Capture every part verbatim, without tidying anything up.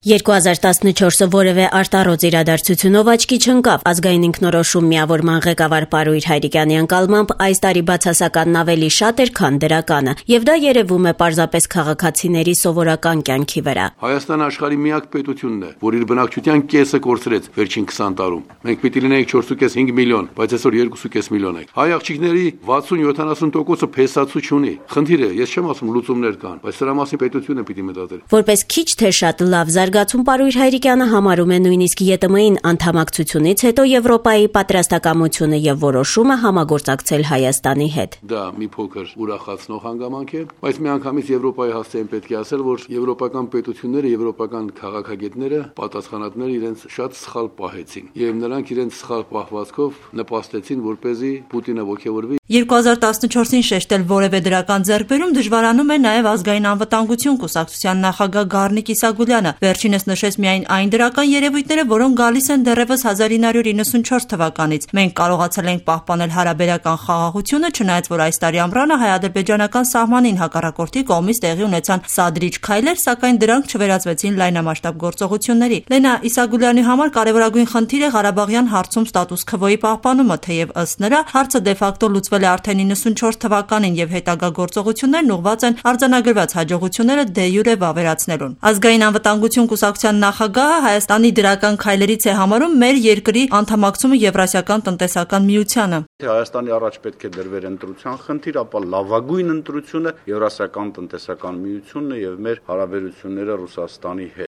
երկու հազար տասնչորսը որևէ արտառոց իրադարձությունով աչքի չընկավ։ Ազգային ինքնորոշում միավորման ղեկավար Պարույր Հայրիկյանի ընկալմամբ այս տարի բացասականն ավելի շատ էր, քան դրականը, եւ դա երևում է պարզապես քաղաքացիների սովորական կյանքի վրա։ Հայաստանը աշխարհի միակ պետությունն է, որ իր բնակչության կեսը կորցրեց վերջին քսան տարում։ Մենք պիտի լինենք չորս կես հինգ միլիոն, բայց այսօր երկու կես միլիոն ենք։ Հայ աղջիկների վաթսուն յոթանասուն տոկոսը փեսացու չունի։ Խնդիրը, ես չեմ ասում լուծումներ կան, բայց սրա մասին պետությունը պիտի մտածել։ Որպես քիչ թե շատ լավ զարգացում Պարույր Հայրիկյանը համարում է նույնիսկ ԵՏՄ-ին անդամակցությունից հետո Եվրոպայի պատրաստակամությունը եւ որոշումը համագործակցել Հայաստանի հետ։ Դա մի փոքր ուրախացնող հանգամանք է, բայց միանգամից Եվրոպայի հասցեին պետք է ասել, որ եվրոպական պետությունները, եվրոպական քաղաքագետները, պատասխանատուները իրենց շատ սխալ պահեցին եւ նրանք իրենց սխալ պահվածքով նպաստեցին, որպեսզի Պուտինը ողջևորվի։ երկու հազար տասնչորսին շեշտել որևէ դրական ձեռքբերում դժվարանում է նաև ազգային անվտանգություն կուսակցության նախագահ Գառնիկ Իսագուլյանը։ Վերջինս նշեց միայն այն դրական երևույթները, որոնք գալիս են դեռևս հազար ինը հարյուր իննսունչորս թվականից։ Մենք կարողացել ենք պահպանել հարաբերական խաղաղությունը, չնայած որ այս տարի ամռանը հայ-ադրբեջանական սահմանին հակառակորդի կողմից տեղի ունեցան սադրիչ քայլեր, սակայն դրանք չվերածվեցին լայնամասշտաբ գործողությունների։ Լենա Իսագուլյանի համար կարևորագույն խնդիր է Ղարաբաղյան հարցում ստատուս քվոյի պահպանումը, թեև ըստ նրա հարցը դե ֆակտո լուծվել է արդեն իննսունչորս թվականին եւ հետագա գործողություններն ուղղված են արձանագրված հաջողությունները դե յուրե վավերացնելուն։ Ազգային անվտանգություն կուսակցության նախագահը Հայաստանի դրական քայլերից է համարում մեր երկրի անդամակցումը Եվրասիական տնտեսական միությանը։ Հայաստանի առաջ պետք է դրվեր ընտրության խնդիր, ապա լավագույն ընտրությունը Եվրասիական տնտեսական միությունն է եւ մեր հարաբերությունները Ռուսաստանի հետ։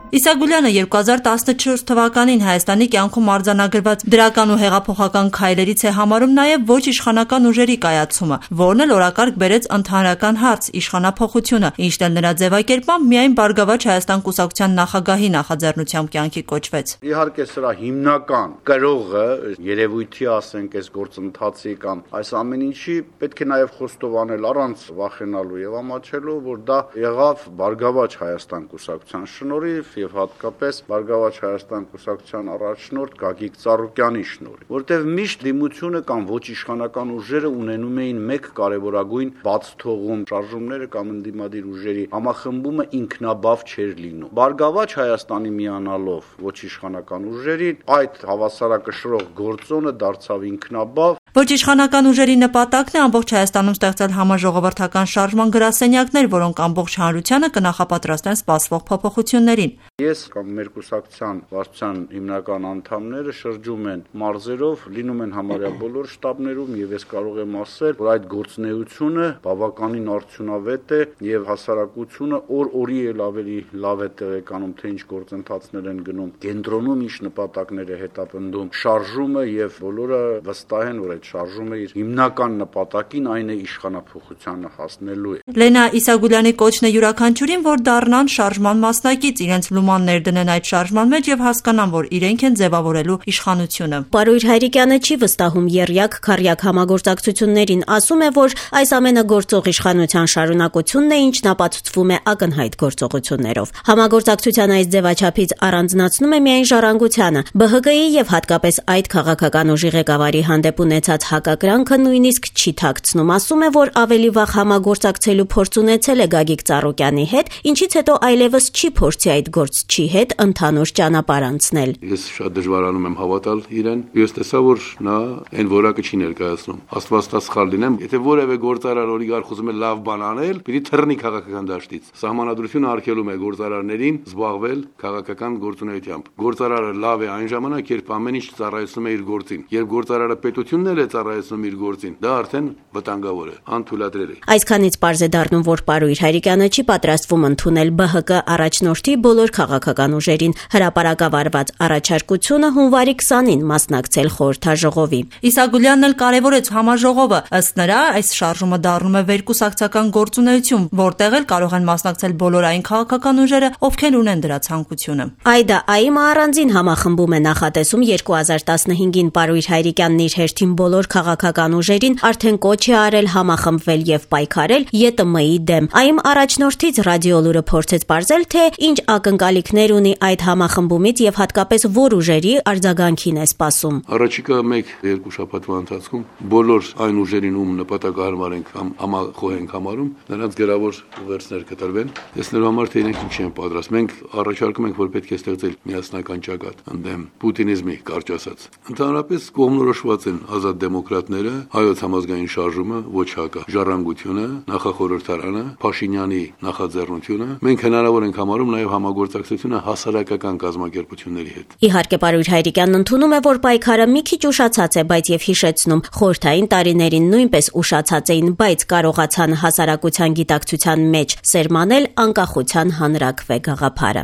Իսագուլյանը երկու հազար տասնչորս թվականին Հայաստանի կյանքում արձանագրված դրական ու հեղափոխական քայլերից է համարում նաև ոչ իշխանական ուժերի կայացումը, որն էլ օրակարգ բերեց ընդհանրական հարց՝ իշխանափոխությունը, ինչն էլ նրա ձևակերպմամբ միայն Բարգավաճ Հայաստան կուսակցության նախագահի նախաձեռնությամբ կյանքի կոչվեց։ Իհարկե սրա հիմնական կրողը երևույթի, ասենք, այս գործընթացի կամ այս ամեն ինչի պետք է նաև խոստովանել առանց վախենալու եւ ամաչելու, որ դա եղավ Բարգավաճ Հայաստան կուսակցության շնորհիվ եւ հատկապես Բարգավաճ Հայաստան կուսակցության առաջնորդ Գագիկ Ծառուկյանի շնորհիվ, որտեղ միշտ դիմությունը կամ ոչ իշխանական ուժերը ունենում էին մեկ կարևորագույն բաց թողում, շարժումները կամ ընդդիմադիր ուժերի համախմբումը ինքնաբավ չէր լինում։ Բարգավաճ Հայաստանի միանալով ոչ իշխանական ուժերի այդ հավասարակշռող գործոնը դարձավ ինքնաբավ։ Ոչ իշխանական ուժերի նպատակն է ամբողջ Հայաստանում ստեղծել համաժողովրդական շարժման գրասենյակներ, որոնք ամբողջ հանրությանը կնախապատրաստեն սպասվող փոփոխություններին։ Ես կամ մեր կուսակցության վարչության հիմնական անդամները շրջում են մարզերով, լինում են համարյա բոլոր շտաբներում եւ ես կարող եմ ասել, որ այդ գործունեությունը բավականին արդյունավետ է եւ հասարակությունը օր-օրի էլ ավելի լավ է տեղեկանում, թե ինչ գործընթացներ են գնում, կենտրոնում ինչ նպատակներ է հետապնդում շարժումը եւ բոլորը վստահ են, որ այդ շարժումը իր հիմնական նպատակին, այն է իշխանափոխությանը հասնելու է։ Լենա Իսագուլյանի կոչն է յուրաքանչյուրին, որ դառնան շարժման մասնակից, իրենց լուման ներդնեն այդ շարժման մեջ եւ հասկանան, որ իրենք են ձևավորելու իշխանությունը։ Պարույր Հայրիկյանը չի վստահում եռյակ քառյակ համագործակցություններին, ասում է, որ այս ամենը գործող իշխանության շարունակությունն է, ինչն ապացուցվում է ակնհայտ գործողություններով։ Համագործակցության այս ձևաչափից առանձնացնում է միայն ժառանգությանը, ԲՀԿ-ի եւ հատկապես այդ քաղաքական ուժի ղեկավարի հանդեպ ունեցած հակակրանքը նույնիսկ չի թաքցնում, ասում է, որ ավելի վաղ համագործակցելու փորձ ունեցել է Գագիկ Ծառուկյանի հետ, ինչից հետո այլևս չի փորձի այդ գործչի հետ ընդհանուր ճանապարհ անցնել։ Ես շատ դժվարանում եմ հավատալ իրեն։ Ես տեսա, որ նա այն որակը չի ներկայացնում։ Աստված տա սխալ լինեմ, եթե որևէ գործարար օլիգարխ ուզում է լավ բան անել, պիտի թռնի քաղաքական դաշտից։ Սահմանադրությունը արգելում է գործարարներին զբաղվել քաղաքական գործունեությամբ։ Գործարարը լավ է այն ժամանակ, երբ ամեն ինչ ծառայեցնում է իր գործին։ Երբ գործարարը պետությունն էլ է ծառայեցնում իր գործին, դա արդեն վտանգավոր է, անթույլատրելի։ Այսքանից պարզ է դառնում, որ Պարույր Հայրիկյանը չի պատրաստվում ընդունել ԲՀԿ առաջնորդի բոլոր քաղաքական ուժերին հրապարակավարված առաջարկությունը հունվարի քսանին մասնակցել խորհրդաժողովի։ Իսագուլյանն էլ կարևորեց համաժողովը, ըստ նրա այս շարժումը դառնում է վերկուսակցական գործունեություն, որտեղ էլ կարող են մասնակցել բոլոր այն քաղաքական ուժերը, ովքեր ունեն դրա ցանկությունը։ Այդա ԱԻՄ-ը առանձին համախմբում է նախատեսում երկու հազար տասնհինգին Պարույր Հայրիկյանն իր հերթին բոլոր քաղաքական ուժերին արդեն կոչ է արել համախմբվել եւ պայքարել ԵՏՄ-ի դեմ։ ԱԻՄ առաջնորդից ռադիոլուրը փորձեց պարզել, թե ինչ ակնկալիքներ ունի այդ համախմբումից եւ հատկապես որ ուժերի արձագանքին է սպասում։ Առաջիկա մեկ-երկու շաբաթվա ընթացքում բոլոր այն ուժերին, ում նպատակահարմար ենք կամ համախոհ ենք համարում, նրանց գրավոր ուղերձներ կտրվեն, տեսնելու համար, թե իրենք ինչ են պատրաստ։ Մենք առաջարկում ենք, որ պետք է ստեղծել միասնական ճակատ ընդդեմ պուտինիզմի, կարճ ասած։ Ընդհանրապես կողմնորոշված են ազատ դեմոկրատները, հայոց համազգային շարժումը, ոչ հակա, ժառանգությունը, նախախորհրդարանը, Փաշինյանի նախաձեռնությունը։ Մենք հնարավոր ենք համարում նաև համագործակցությունը հասարակական կազմակերպությունների հետ։ Իհարկե, պարույր Հայրիկյանն ընդունում է, որ պայքարը մի քիչ ուշացած է, բայց եւ հիշեցնում, խորհրդային տարիներին նույնպես ուշացած էին, բայց կարողացան հասարակության գիտակցության մեջ սերմանել անկախության հանրաքվե գաղափարը։